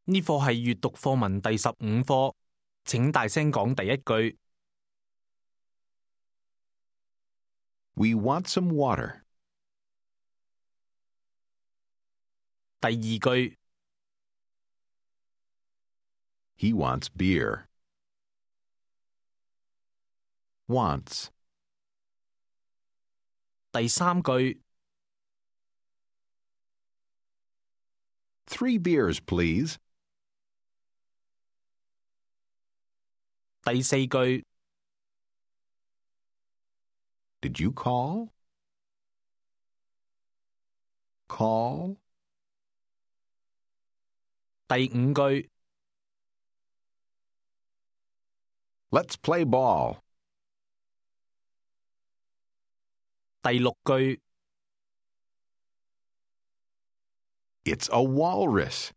呢課係閱讀課文第15課，請大聲講第一句。We want some water. 第二句。He wants beer. Wants. 第三句。 3 beers, please. 第四句。 Did you call? Call. 第五句。 Let's play ball. 第六句。 It's a walrus.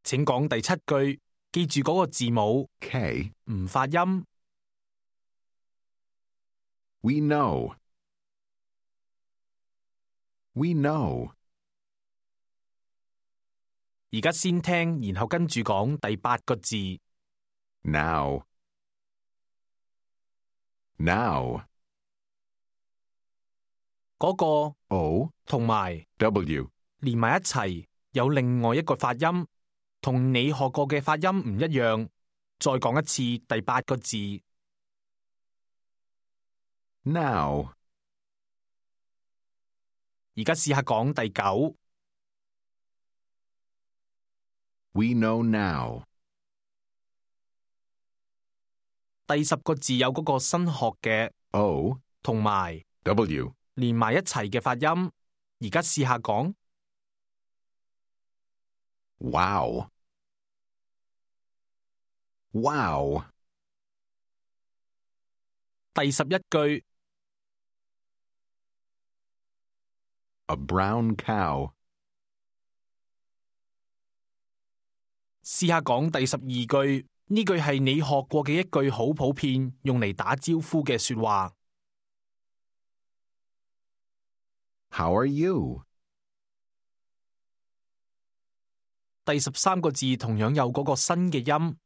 請講第七句，記住嗰個字母 K. 唔發音。 We know. We know. 而家先聽，然後跟住講第八個字。 Now. Now. 嗰個 O. 同埋 W. 連埋一齊，有另外一個發音，同你學過嘅發音唔一樣。再講一次第八個字。 Now. 而家試下講第九。 We know now. 第10個字有嗰個新學嘅 O. 同埋 W. 連埋一齊嘅發音。而家試下講。 Wow. Wow. 第11句。 A brown cow. 試下講第12句，呢句係你學過嘅一句好普遍，用嚟打招呼嘅說話。 How are you? 第13個字同樣有嗰個新嘅音，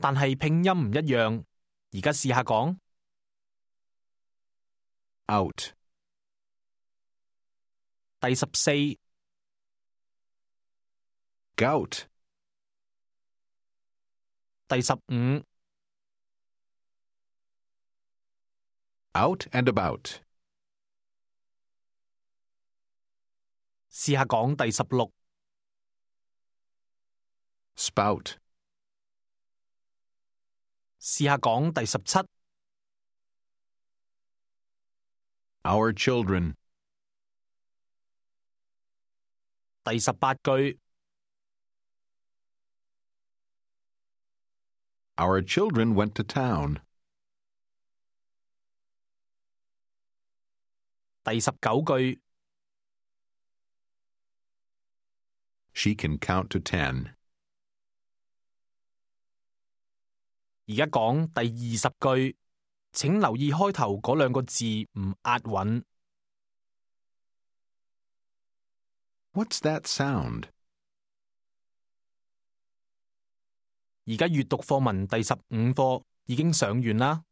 但係拼音唔一樣。而家試下講。 Out. 第14。 Gout. 第15。 Out and about. 試下講第16。 Spout. 試下講第17。 Our children. 第18句。 Our children went to town. 第19句。 She can count to 10. 而家講第20句，請留意開頭嗰兩個字唔押韻。 What's that sound? 而家閱讀課文第15課已經上完啦。